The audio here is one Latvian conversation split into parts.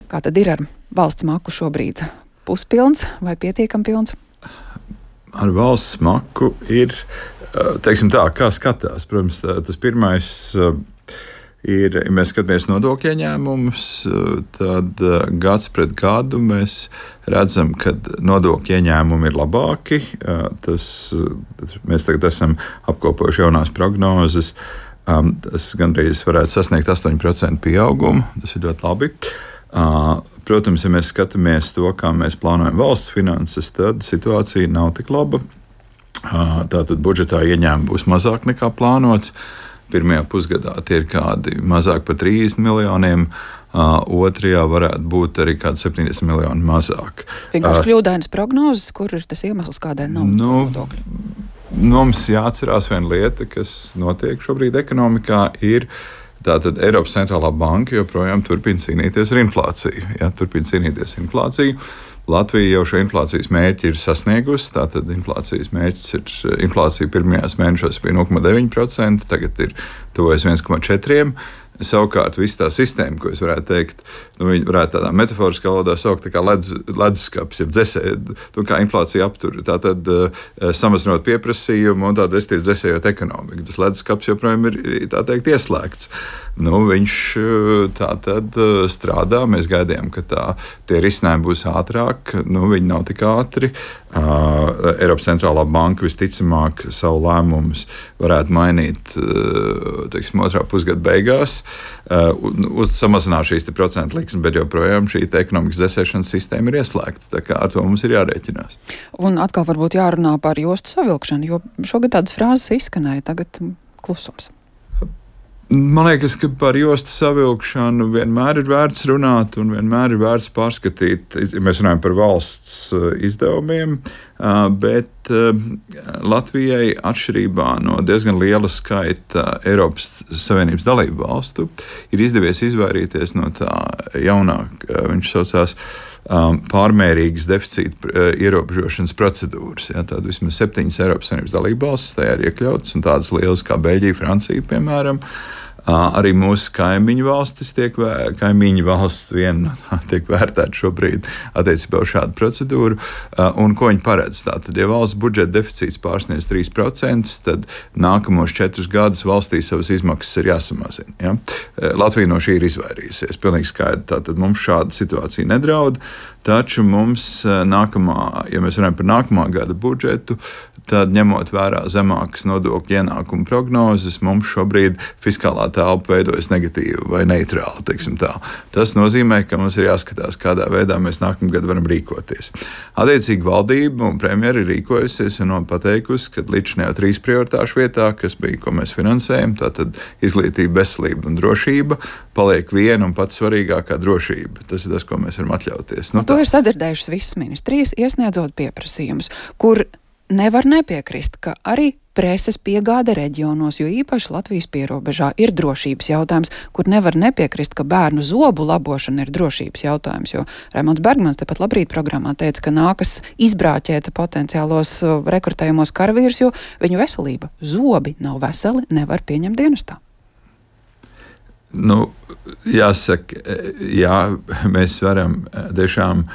Kā tad ir ar valsts maku šobrīd? Puspilns vai pietiekami pilns? Ar valsts maku ir, teiksim tā, kā skatās. Protams, tas pirmais ir, ja mēs skatāmies nodokļu ieņēmumus, tad gads pret gadu mēs redzam, ka nodokļu ieņēmumi ir labāki. Mēs tagad esam apkopojuši jaunās prognozes. Tas gandrīz varētu sasniegt 8% pieaugumu. Tas ir ļoti labi. Protams, ja mēs skatāmies to, kā mēs plānojam valsts finanses, tad situācija nav tik laba. Tātad budžetā ieņēmumi būs mazāk nekā plānots. Pirmajā pusgadā tie ir kādi mazāk par 30 miljoniem. Otrajā varētu būt arī kādi 70 miljoni mazāk. Vienkārši kļūdainas prognozes, kur ir tas iemesls, kādēļ nav nodokļu? Mums jāatcerās viena lieta, kas notiek šobrīd ekonomikā, ir tātad Eiropas centrālā banka joprojām turpina cīnīties ar inflāciju. Ja, turpina cīnīties ar inflāciju. Latvija jau šo inflācijas mērķi ir sasniegusi. Tātad inflācijas mērķis ir inflācija pirmajos mēnešos bija 0,9%, tagad ir tuvojas 1,4%. Savukārt, visa tā sistēma, ko es varētu teikt, viņi varētu tādā metaforiskā valodā saukt kā leduskapis, jeb dzesēju, kā inflācija aptur. Tātad samazinot pieprasījumu un tādu vestīti dzesējot ekonomiku. Tas leduskapis joprojām ir, tā teikt, ieslēgts. Viņš tātad strādā. Mēs gaidījām, ka tie risinājumi būs ātrāk. Viņi nav tik ātri. Eiropas centrālā banka visticamāk savu lēmumus varētu mainīt, teiksim, otrā pusgada beigās. Samazināt šīs procentu likmes, bet joprojām šī ekonomikas dzesēšanas sistēma ir ieslēgta. Tā kā ar to mums ir jārēķinās. Un atkal varbūt jārunā par jostu savilkšanu, jo šogad tādas frāzes izskanēja, tagad klusums. Man liekas, ka par jostu savilkšanu vienmēr ir vērts runāt un vienmēr ir vērts pārskatīt. Mēs runājam par valsts izdevumiem, bet Latvijai atšķirībā no diezgan liela skaita Eiropas Savienības dalību valstu ir izdevies izvairīties no tā jaunāk, viņš saucās, pārmērīgas deficīta ierobežošanas procedūras. Ja, tāda vismaz 7 Eiropas Savienības dalību valstis tajā ir iekļautas, un tādas lielas kā Beļģija, Francija, piemēram. Arī mūsu kaimiņu valstis tiek vērtēta šobrīd attiecībā uz šādu procedūru. Un ko viņi paredz? Tātad, ja valsts budžeta deficīts pārsniedz 3%, tad nākamos 4 gadus valstī savas izmaksas ir jāsamazina. Ja? Latvija no šī ir izvairījusies. Pilnīgi skaidri. Tātad mums šāda situācija nedraud. Taču mums ja mēs runājam par nākamā gada budžetu, tad ņemot vērā zemākas nodokļu ienākumu prognozes, mums šobrīd fiskālā telpa veidojas negatīvi vai neitrāli. Tas nozīmē, ka mums ir jāskatās, kādā veidā mēs nākamgad varam rīkoties. Attiecīgi valdība un premjera ir rīkojusies un pateikusi, ka līdzinājā 3 prioritāšu vietā, kas bija, ko mēs finansējam, tātad izglītība, veselība un drošība, paliek viena un pats svarīgākā drošība. Tas ir tas, ko mēs varam atļauties. To ir sadzirdējušas visas ministrijas, iesniedzot pieprasījumus, kur nevar nepiekrist, ka arī preses piegāde reģionos, jo īpaši Latvijas pierobežā ir drošības jautājums, kur nevar nepiekrist, ka bērnu zobu labošana ir drošības jautājums, jo Raimonds Bergmans tepat Labrīt programmā teica, ka nākas izbrāķēt potenciālos rekrutējumos karavīrus, jo viņu veselība, zobi nav veseli, nevar pieņemt dienestā. Jāsaka, jā, mēs varam tiešām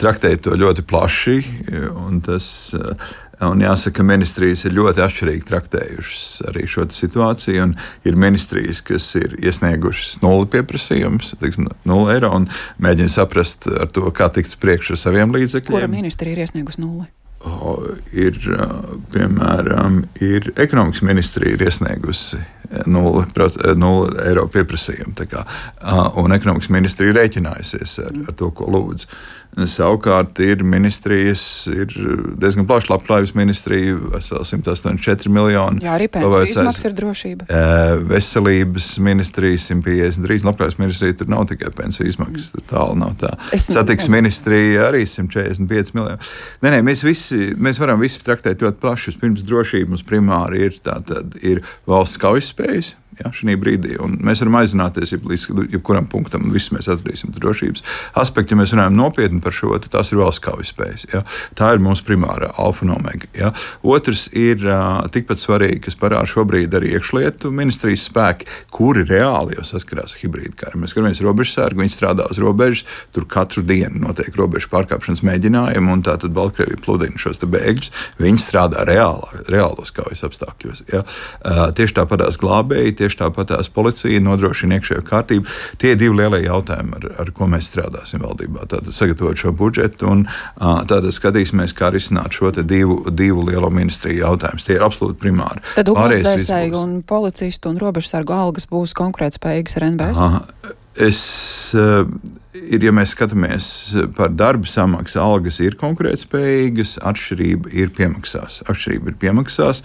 traktēt to ļoti plaši, un jāsaka, ministrijas ir ļoti atšķirīgi traktējušas arī šo situāciju, un ir ministrijas, kas ir iesniegušas 0 pieprasījumus, 0 eiro, un mēģina saprast ar to, kā tikt priekš ar saviem līdzekļiem. Kura ministrija ir iesniegusi 0? Piemēram, ekonomikas ministrija ir iesniegusi 0 eiro pieprasījumu. Un ekonomikas ministrija rēķinājusies ar to, ko lūdz. Savukārt ir ministrijas, ir diezgan plaša labklājības ministrija, veseli 184 miljoni. Jā, arī pensiju izmaksas ir drošība. Veselības ministrija 153, labklājības ministrija tur nav tikai pensiju izmaksas, tur tālu nav tā. Satiksmes ministrija arī 145 miljoni. Nē, mēs varam visi traktēt ļoti plaši. Pirms drošība mums primāri ir valsts kaujas spējas. ja, šī brīdī. Un mēs varam aizrunāties līdz jebkuram punktam, un viss mēs atradīsim drošības aspektu. Ja mēs runājam nopietni par šo, tad tās ir valsts kaujas spējas. Ja. Tā ir mūsu primārā alfa un omega. Ja. Otrs ir tikpat svarīgi, kas parāda šobrīd arī iekšlietu ministrijas spēki, kuri reāli jau saskarās ar hibrīdu karu. Mēs skatāmies robežsargu, viņi strādā uz robežas, tur katru dienu notiek robežu pārkāpšanas mēģinājumi, un tātad Baltkrievija pludina šos bēgļus. Viņi strādā reālos kaujas apstākļos. Ja. Tieši tāpatās glābēji, tieši tāpatās policija nodrošina iekšējo kārtību. Tie ir divi lielie jautājumi, ar ko mēs strādāsim valdībā. Tātad sagatavot šo budžetu un tātad skatīsimies, kā risināt šo divu lielo ministriju jautājumus. Tie ir absolūti primāri. Tad ugunsdzēsēju un policistu un robežsargu algas būs konkurētspējīgas ar NBS? Ja mēs skatāmies par darba samaksu, algas ir konkurētspējīgas, atšķirība ir piemaksās.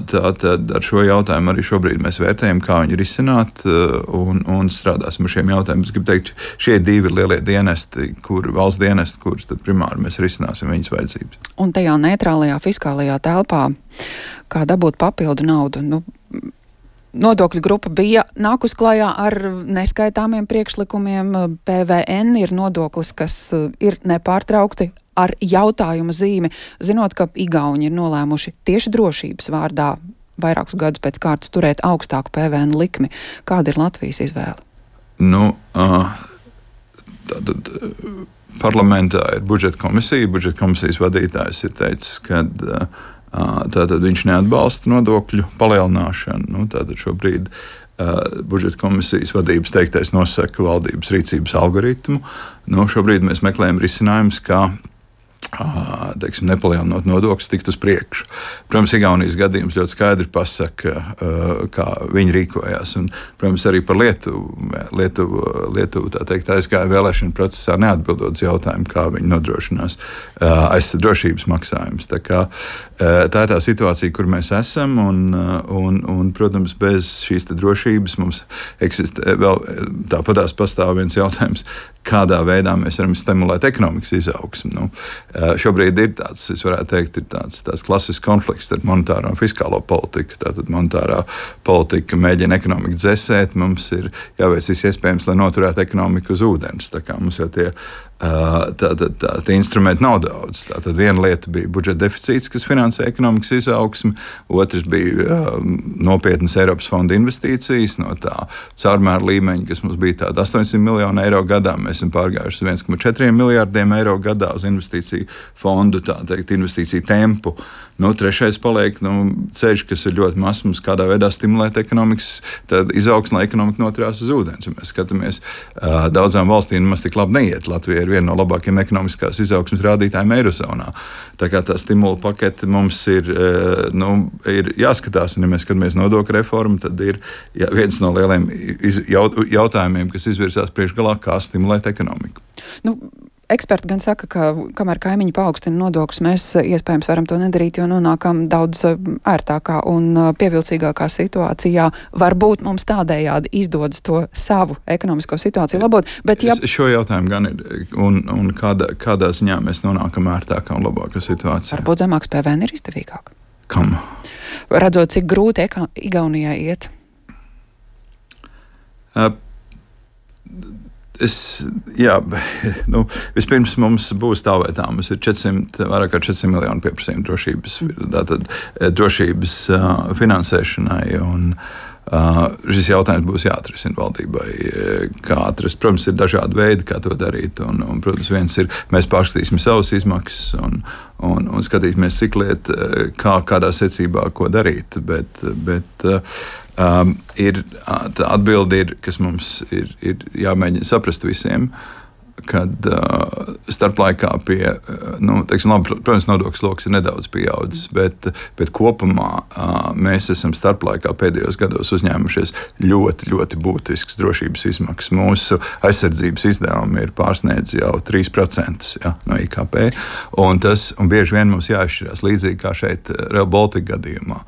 Tātad ar šo jautājumu arī šobrīd mēs vērtējam, kā viņu risināt un strādāsim ar šiem jautājumiem. Es gribu teikt, šie ir divi lielie dienesti, valsts dienesti, kurus tad primāri mēs risināsim viņas vajadzības. Un tajā neitrālajā fiskālajā telpā, kā dabūt papildu naudu? Nodokļu grupa bija nākus klajā ar neskaitāmiem priekšlikumiem. PVN ir nodoklis, kas ir nepārtraukti ar jautājuma zīmi, zinot, ka Igauni ir nolēmuši tieši drošības vārdā vairākus gadus pēc kārtas turēt augstāku PVN likmi. Kāda ir Latvijas izvēle? Tātad parlamentā ir budžeta komisija. Budžeta komisijas vadītājs ir teicis, ka tātad viņš neatbalsta nodokļu palielināšanu. Tātad šobrīd budžeta komisijas vadības teiktais nosaka valdības rīcības algoritmu. Šobrīd mēs meklējam risinājumus, kā nepalielinot nodokļus, tikt uz priekšu. Protams, Igaunijas gadījums ļoti skaidri pasaka, kā viņi rīkojās. Un, protams, arī par Lietuvu tā teikt, aizgāja vēlēšanu procesā neatbildot uz jautājumu, kā viņi nodrošinās drošības maksājumus. Tā ir tā situācija, kur mēs esam, un protams, bez šīs drošības mums eksistē vēl tāpatās pastāv viens jautājums, kādā veidā mēs varam stimulēt ekonomikas izaugsmu. Šobrīd ir tāds, es varētu teikt, ir tāds klasisks konflikts starp monetāro un fiskālo politiku. Tātad monetārā politika mēģina ekonomiku dzēsēt, mums ir jāveic viss iespējams, lai noturētu ekonomiku uz ūdens. Tā kā mums jau tie instrumenti nav daudz. Tātad viena lieta bija budžeta deficīts, kas finansē ekonomikas izaugsmi, otrs bija nopietnas Eiropas fonda investīcijas no tā caurmēra līmeņa, kas mums bija tāda 800 miljonu eiro gadā. Mēs esam pārgājuši uz 1,4 miljārdiem eiro gadā uz investīciju fondu, tā teikt, investīciju tempu. Trešais paliek ceļš, kas ir ļoti mazs, mums kādā veidā stimulēt ekonomikas izaugsmu, lai ekonomika noturās uz ūdens. Ja mēs skatāmies, daudzām valstīm nemaz tik labi neiet. Latvija ir viena no labākajiem ekonomiskās izaugsmes rādītājiem Eirozonā. Tā kā tā stimula pakete mums ir jāskatās, un ja mēs skatāmies nodokļu reformu, tad ir viens no lieliem jautājumiem, kas izvirzās priekšgalā, kā stimulēt ekonomiku. Eksperti gan saka, ka kamēr kaimiņi paaugstina nodokļus, mēs iespējams varam to nedarīt, jo nonākam daudz ērtākā un pievilcīgākā situācijā. Varbūt mums tādējādi izdodas to savu ekonomisko situāciju labot. Bet šo jautājumu gan ir, un kādā ziņā mēs nonākam ērtākā un labākā situācijā. Varbūt zemāks PVN ir izdevīgāk. Kam? Redzot, cik grūti Igaunijai iet. Vispirms mums būs tā vai tā. Mums ir vairāk kā 400 miljonu pieprasījumu drošības finansēšanai. Un, šis jautājums būs jāatrisina valdībai. Kā atrast? Protams, ir dažādi veidi, kā to darīt. Un, protams, viens ir, mēs pārskatīsim savas izmaksas un skatīsimies, cik liet, kādā secībā, ko darīt. Bet atbilde ir, kas mums ir jāmēģina saprast visiem, kad starplaikā protams, nodokļu sloks ir nedaudz pieaudzis, bet kopumā mēs esam starplaikā pēdējos gados uzņēmušies ļoti, ļoti būtisks drošības izmaksas. Mūsu aizsardzības izdevumi ir pārsniedz jau 3% no IKP, un bieži vien mums jāizšķirās līdzīgi kā šeit Rail Baltica gadījumā.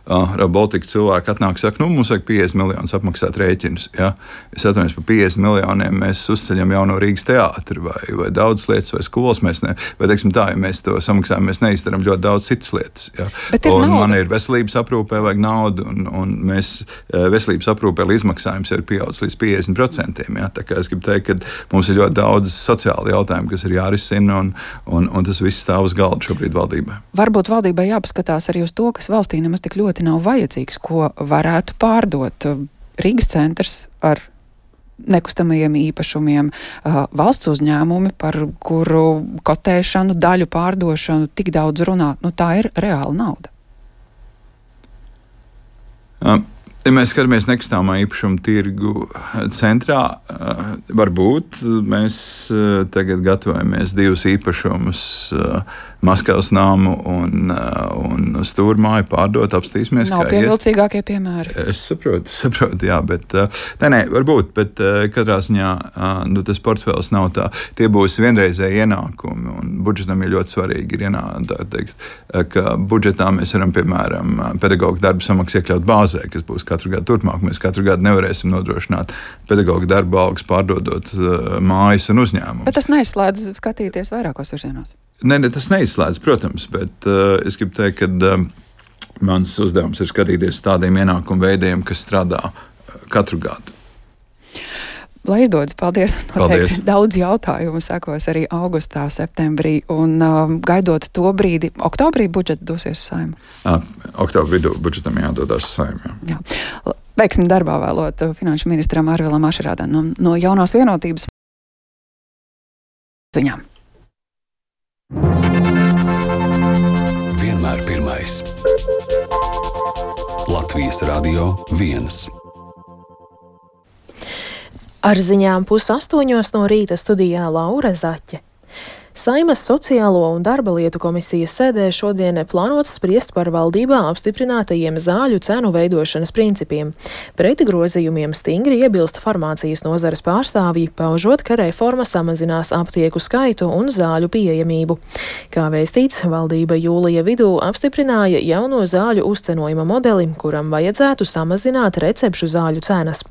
Baltika cilvēki atnāk, saka, mums vajag 50 miljonus apmaksāt rēķinus. Ja? Es atvainojos, par 50 miljoniem mēs uzceļam jauno Rīgas teātri vai daudz lietas, vai skolas. Vai teiksim tā, ja mēs to samaksājam, mēs neizdarām ļoti daudz citas lietas. Ja? Un man ir veselības aprūpē vajag naudu, un mēs veselības aprūpē izmaksājums jau ir pieaudzis līdz 50%. Ja? Tā kā es gribu teikt, ka mums ir ļoti daudz sociāli jautājumi, kas ir jārisina, un tas viss stāv uz galda šobrīd valdībai. Varbūt valdībai jāpaskatās arī uz to, kas valstī nemaz tik ļoti nav vajadzīgs, ko varētu pārdot. Rīgas centrs ar nekustamajiem īpašumiem, valsts uzņēmumi, par kuru kotēšanu, daļu pārdošanu tik daudz runā. Tā ir reāla nauda. Ja mēs skatāmies nekustamā īpašuma tirgu centrā, varbūt mēs tagad gatavojamies 2 īpašumus, Maskavas namu un Stūrmāju pārdot, apstīsimies. Nav pievilcīgākie piemēri. Es saprotu, jā, bet varbūt, bet katrā ziņā tas portfels nav tā. Tie būs vienreizēji ienākumi, un budžetam ir ļoti svarīgi ka budžetā mēs varam, piemēram, pedagoģu darbu samaksu iekļaut bāzē, kas būs katru gadu turpmāk. Mēs katru gadu nevarēsim nodrošināt pedagoģu darbu algas pārdodot mājas un uzņēmumus. Bet tas neizslēdz skatīties vairākos virzienos. Ne, tas neizslēdz, protams, bet es gribu teikt, ka mans uzdevums ir skatīties tādiem ienākumu veidiem, kas strādā katru gadu. Lai izdodas, paldies. Noteikti daudz jautājumu sekos arī augustā, septembrī, un gaidot to brīdi, oktobrī budžets dosies uz Saeimu. Oktobrī budžetam jādodas uz Saeimu, jā. Veiksmi darbā vēlot finanšu ministram Arvilam Ašerādam no Jaunās vienotības ziņām. Vienmēr pirmais. Latvijas Radio 1. Ar ziņām 7:30 no rīta studijā Laura Zaķe. Saeimas Sociālo un darba lietu komisijas sēdē šodien plānots spriest par valdībā apstiprinātajiem zāļu cenu veidošanas principiem. Pret grozījumiem stingri iebilst farmācijas nozares pārstāvji, paužot, ka reforma samazinās aptieku skaitu un zāļu pieejamību. Kā vēstīts, valdība jūlija vidū apstiprināja jauno zāļu uzcenojuma modeli, kuram vajadzētu samazināt recepšu zāļu cenas.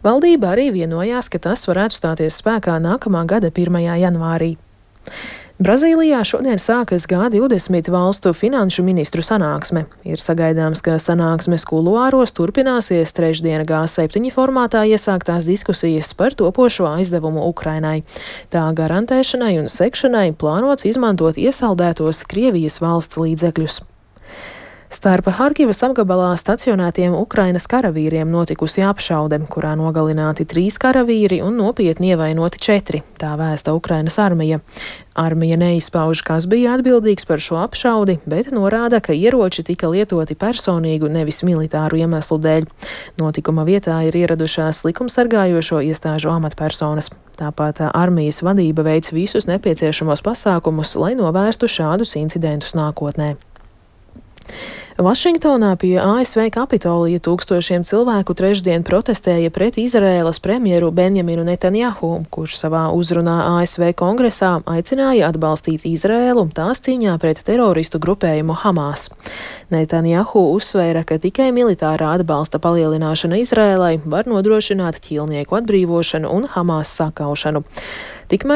Valdība arī vienojās, ka tas varētu stāties spēkā nākamā gada 1. janvārī. Brazīlijā šodien sākas G20 valstu finanšu ministru sanāksme. Ir sagaidāms, ka sanāksmes kuluāros turpināsies trešdien G7 formātā iesāktās diskusijas par topošo aizdevumu Ukrainai. Tā garantēšanai un sekšanai plānots izmantot iesaldētos Krievijas valsts līdzekļus. Starp Harkivas apgabalā stacionētiem Ukrainas karavīriem notikusi apšaude, kurā nogalināti 3 karavīri un nopietni ievainoti 4, tā vēsta Ukrainas armija. Armija neizpauž, kas bija atbildīgs par šo apšaudi, bet norāda, ka ieroči tika lietoti personīgu, nevis militāru iemeslu dēļ. Notikuma vietā ir ieradušās likumsargājošo iestāžu amatpersonas. Tāpat armijas vadība veic visus nepieciešamos pasākumus, lai novērstu šādus incidentus nākotnē. Vašingtonā pie ASV Kapitolija tūkstošiem cilvēku trešdien protestēja pret Izraēlas premjeru Benjaminu Netanjahu, kurš savā uzrunā ASV kongresā aicināja atbalstīt Izraēlu tās cīņā pret teroristu grupējumu Hamas. Netanjahu uzsvēra, ka tikai militārā atbalsta palielināšana Izraēlai var nodrošināt ķīlnieku atbrīvošanu un Hamas sakaušanu. Tikmēr